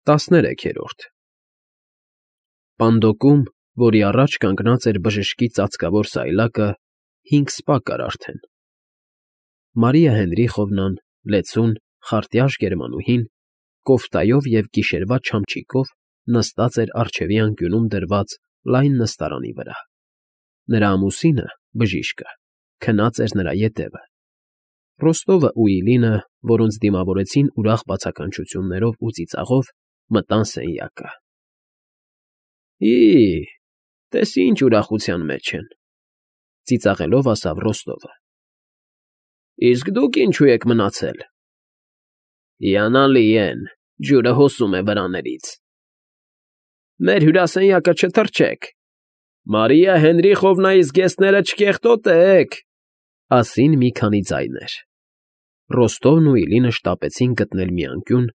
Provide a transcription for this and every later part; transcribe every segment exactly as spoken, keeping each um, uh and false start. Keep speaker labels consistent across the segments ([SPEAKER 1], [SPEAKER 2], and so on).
[SPEAKER 1] Տասներեքերորդ Պանդոկում, որի առաջ կանգնած էր բժշկի ծածկավոր սայլակը, հինգ սպա կար արդեն. Մարիա Հենրիխովնան, լեցուն, խարտյաշ գերմանուհին, կոֆտայով և գիշերվա չամչիկով նստած էր առջևի անկյունում դրված լայն նստարանի վրա. նրա ամուսինը, բժիշկը, քնած էր նրա ետևը. Ռոստովն ու Իլինը, որոնց դիմավորեցին ուրախ բացականչություններով ու ծիծաղով, մտան սենյակը։ Հի՜, տես ինչ ուրախության մեջ են,֊ ծիծաղելով ասավ Ռոստովը։ Իսկ դուք ինչու եք մնացել։ Հիանալի են, ջուրը հոսում է վրաներից։ Մեր հյուրասենյակը չթրջեք, Մարիա Հենրիխովնայի զգեստները չկեղտոտեք, ասին մի քանի ձայներ։ Ռոստովն ու Իլինը շտապեցին գտնել մի անկյուն,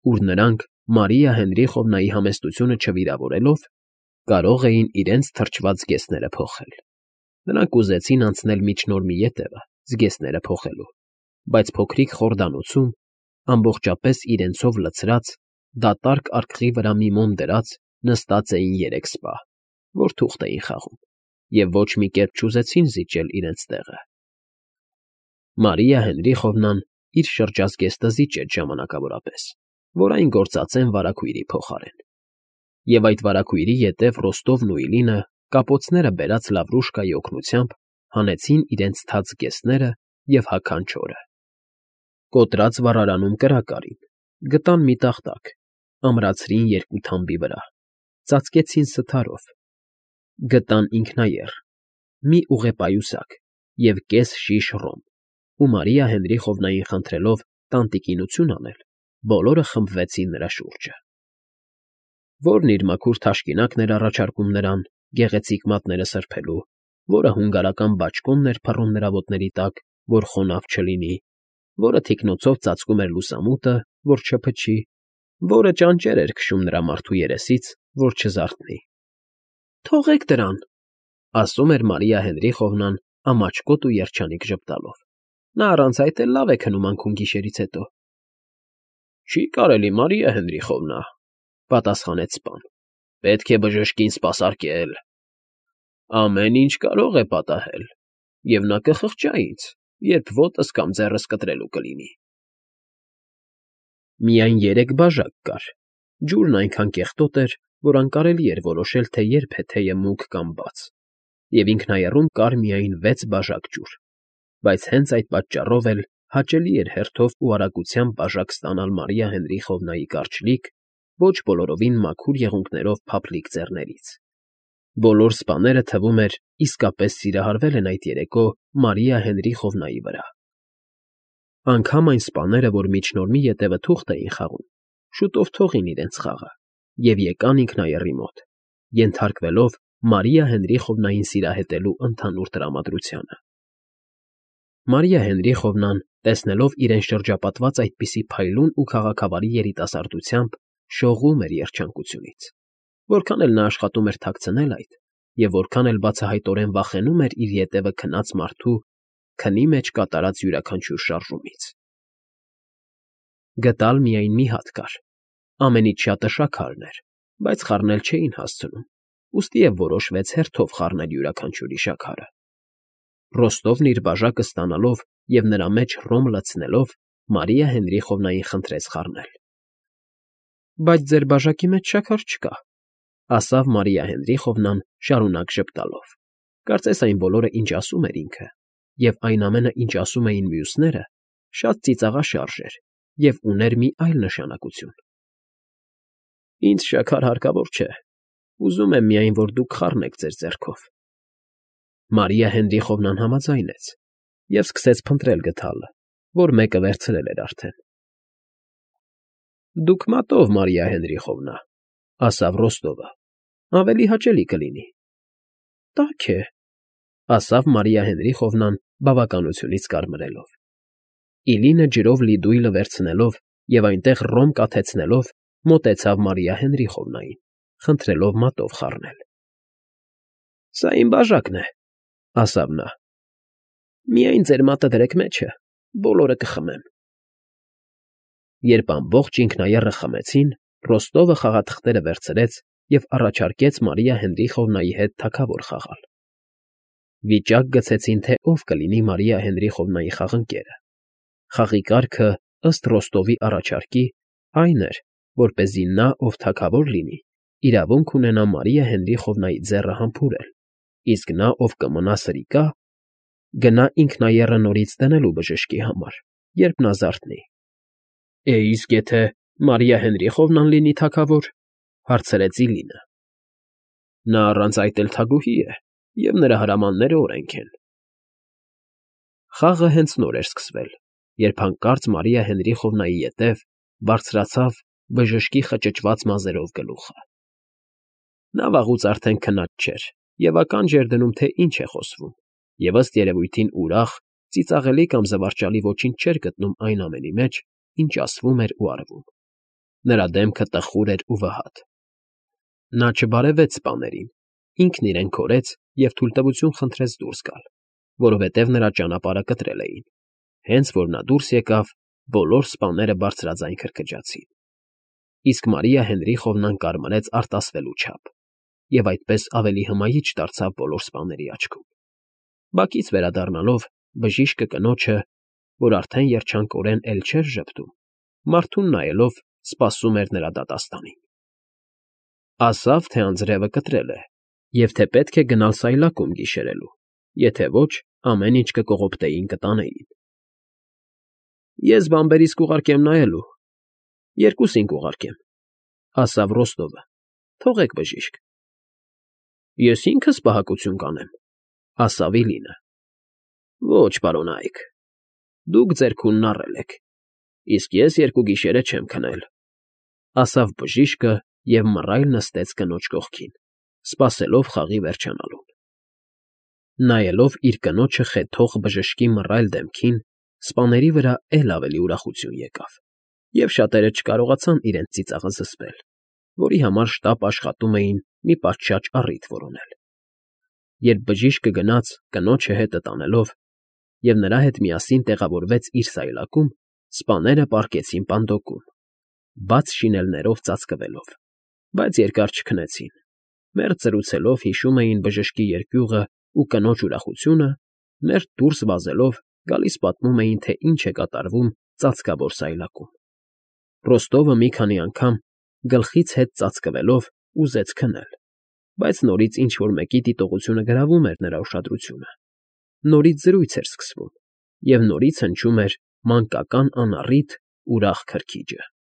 [SPEAKER 1] ուր նրանք, Մարիա Հենրիխովնայի համեստությունը չվիրավորելով, կարող էին իրենց թրջված զգեստները փոխել։ Նրանք ուզեցին անցնել միջնոր մի ետևը, զգեստները փոխելու, բայց փոքրիկ խորդանոցում, ամբողջապես իրենցով լցրած, դատարկ արկղի վրա մի մոմ դրած նստած էին երեք սպա, որ թուղթ էին խաղում, և ոչ մի կերպ չուզեցին զիջել իրենց տեղը։ Մարիա Հենրիխովնան իր շրջազգեստը զիջեց ժամանակավորապես, որ այն գործածեն վարագույրի փոխարեն։ Եվ այդ վարագույրի ետև Ռոստովն ու Իլինը, կապոցները բերած Լավրուշկայի օգնությամբ, հանեցին իրենց թաց զգեստները և հագան չորը։ Կոտրած վառարանում կրակ արին, գտան մի տախտակ, ամրացրին երկու թամբի վրա, ծածկեցին սթարով, գտան ինքնաեռ, մի ուղեպայուսակ և կես շիշ ռոմ, ու Մարիա Հենրիխովնային խնդրելով տանտիկինություն անել, բոլորը խմբվեցին նրա շուրջը։ Որն իր մաքուր թաշկինակն էր առաջարկում նրան, գեղեցիկ մատները սրբելու, որը հունգարական բաճկոնն էր փռում նրա ոտների տակ, որ խոնավ չլինի, որը թիկնոցով ծածկում էր լուսամուտը, որ չփչի, որը ճանճեր էր քշում նրա մարդու երեսից, որ չզարթնի։ Թողեք դրան, ասում էր Մարիա Հենրիխովնան ամաչկոտ ու երջանիկ ժպտալով։ Նա առանց այդ էլ լավ է քնում անքուն գիշերից հետո։ Չի կարելի, Մարիա Հենրիխովնա, պատասխանեց սպան, պետք է բժշկին սպասարկել։ Ամեն ինչ կարող է պատահել, և նա կխղճա ինձ, երբ ոտս կամ ձեռս կտրելու կլինի։ Միայն երեք բաժակ կար, ջուրն այնքան կեղտոտ էր, որ անկարելի էր որոշել, թե երբ է թեյը մուգ կամ բաց, և ինքնաեռում կար միայն վեց բաժակ ջուր, բայց հենց այդ պատճառով էլ հաճելի էր հերթով ու արագությամբ բաժակ ստանալ Մարիա Հենրիխովնայի կարճլիկ, ոչ բոլորովին մաքուր եղունգներով փափլիկ ձեռներից։ Բոլոր սպաները, թվում էր, իսկապես սիրահարվել են այդ երեկո Մարիա Հենրիխովնայի վրա։ Անգամ այն սպաները, որ միջնորմի ետևը թուղթ էին խաղում, շուտով թողին իրենց խաղը և եկան ինքնաեռի մոտ, ենթարկվելով Մարիա Հենրիխովնային սիրահետելու ընդհանուր տրամադրությանը։ Մարիա Հենրիխովնան, տեսնելով իրեն շրջապատված այդպիսի փայլուն ու քաղաքավարի երիտասարդությամբ, շողում էր երջանկությունից, որքան էլ նա աշխատում էր թաքցնել այդ, և որքան էլ բացահայտորեն վախենում էր իր ետևը քնած մարդու քնի մեջ կատարած յուրաքանչյուր շարժումից։ Գտալ միայն մի հատ կար, ամենից շատը շաքարն էր, բայց խառնել չէին հասցնում, ուստի և որոշվեց հերթով խառնել յուրաքանչյուրի շաքարը։ Ռոստովն իր բաժակը ստանալով և նրա մեջ ռոմ լցնելով, Մարիա Հենրիխովնային խնդրեց խառնել։ Բայց ձեր բաժակի մեջ շաքար չկա, ասավ Մարիա Հենրիխովնան շարունակ ժպտալով, կարծես այն բոլորը, ինչ ասում էր ինքը, և այն ամենը, ինչ ասում էին մյուսները, շատ ծիծաղաշարժ էր և ուներ մի այլ նշանակություն։ Ինձ շաքար հարկավոր չէ, ուզում եմ միայն, որ դուք խառնեք ձեր ձեռքով։ Մարիա Հենրիխովնան համաձայնեց և սկսեց փնտրել գդալը, որ մեկը վերցրել էր արդեն։ Դուք մատով, Մարիա Հենրիխովնա, ասավ Ռոստովը, ավելի հաճելի կլինի։ Տաք է, ասավ Մարիա Հենրիխովնան բավականությունից կարմրելով։ Իլինը ջրով լի դույլը վերցնելով և այնտեղ ռոմ կաթեցնելով, մոտեցավ Մարիա Հենրիխովնային, խնդրելով մատով խառնել։ Սա իմ բաժակն է, ասավ նա։ Միայն ձեր մատը դրեք մեջը, բոլորը կխմեմ։ Երբ ամբողջ ինքնաեռը խմեցին, Ռոստովը խաղաթղթերը վերցրեց և առաջարկեց Մարիա Հենրիխովնայի հետ թագավոր խաղալ։ Վիճակ գցեցին, թե ով կլինի Մարիա Հենրիխովնայի խաղընկերը։ Խաղի կարգը, ըստ Ռոստովի առաջարկի, այն էր, որպեսզի նա, ով թագավոր լինի, իրավունք ունենա Մարիա Հենրիխովնայի ձեռը համբուրել, իսկ նա, ով կմնա սրիկա, գնա ինքնաեռը նորից դնելու բժշկի համար, երբ նա զարթնի։ ֊ Է, իսկ եթե Մարիա Հենրիխովնան լինի թագավոր,֊ հարցրեց Իլինը։ ֊ Նա առանց այդ էլ թագուհի է, և նրա հրամանները օրենք են։ Խաղը հենց նոր էր սկսվել, երբ հանկարծ Մարիա Հենրիխովնայի ետև բարձրացավ բժշկի խճճված մազերով գլուխը։ Նա վաղուց արդեն քնած չէր և ականջ էր դնում, թե ինչ է խոսվում, և ըստ երևույթին ուրախ, ծիծաղելի կամ զվարճալի ոչինչ չէր գտնում այն ամենի մեջ, ինչ ասվում էր ու արվում։ Նրա դեմքը տխուր էր ու վհատ։ Նա չբարևեց սպաներին, ինքն իրեն քորեց և թույլտվություն խնդրեց դուրս գալ, որովհետև նրա ճանապարհը կտրել էին։ Հենց որ նա դուրս եկավ, բոլոր սպաները բարձրաձայն քրքջացին։ Իսկ Մարիա Հենրիխովնան կարմրեց արտասվելու չափ, և այդպես ավելի հմայիչ դարձավ բոլոր սպաների աչքում։ Բակից վերադառնալով, բժիշկը կնոջը, որ արդեն երջանկորեն էլ չէր ժպտում, մարդուն նայելով սպասում էր նրա դատաստանին։ Ասավ, թե անձրևը կտրել է, և թե պետք է գնալ սայլակում գիշերելու, եթե ոչ, ամեն ինչ կկողոպտեին կտանեին։ ֊ Ես բանբերիս կուղարկեմ նայելու, երկուսին կուղարկեմ,֊ ասավ Ռոստովը,֊ թողեք, բժիշկ։ ֊ Ես ինքս պահակություն կանեմ,֊ ասավ Իլինը։ ֊ Ոչ, պարոնայք, դուք ձեռքունն առել եք, իսկ ես երկու գիշերը չեմ քնել,֊ ասավ բժիշկը և մռայլ նստեց կնոջ կողքին, սպասելով խաղի վերջանալուն։ Նայելով իր կնոջը խեթող բժշկի մռայլ դեմքին, սպաների վրա էլ ավելի ուրախություն եկավ, և շատերը չկարողացան իրենց ծիծաղը զսպել, որի համար շտապ աշխատում էին մի պատշաճ առիթ որոնել։ Երբ բժիշկը գնաց կնոջը հետը տանելով, և նրա հետ միասին տեղավորվեց իր սայլակում, սպաները պառկեցին պանդոկում, բաց շինելներով ծածկվելով, բայց երկար չքնեցին, մերթ զրուցելով հիշում էին բժշկի երկյուղն ու կնոջ ուրախությունը, մերթ դուրս վազելով գալիս պատմում էին, թե ինչ է կատարվում ծածկավոր սայլակում։ Ռոստովը մի քանի անգամ, գլխից հետ ծածկվելով, ուզեց քնել, բայց նորից ինչ֊որ մեկի դիտողությունը գրավում էր նրա ուշադրությունը, նորից զրույց էր սկսվում, և նորից հնչում էր մանկական անառիթ ուրախ քրքիջը։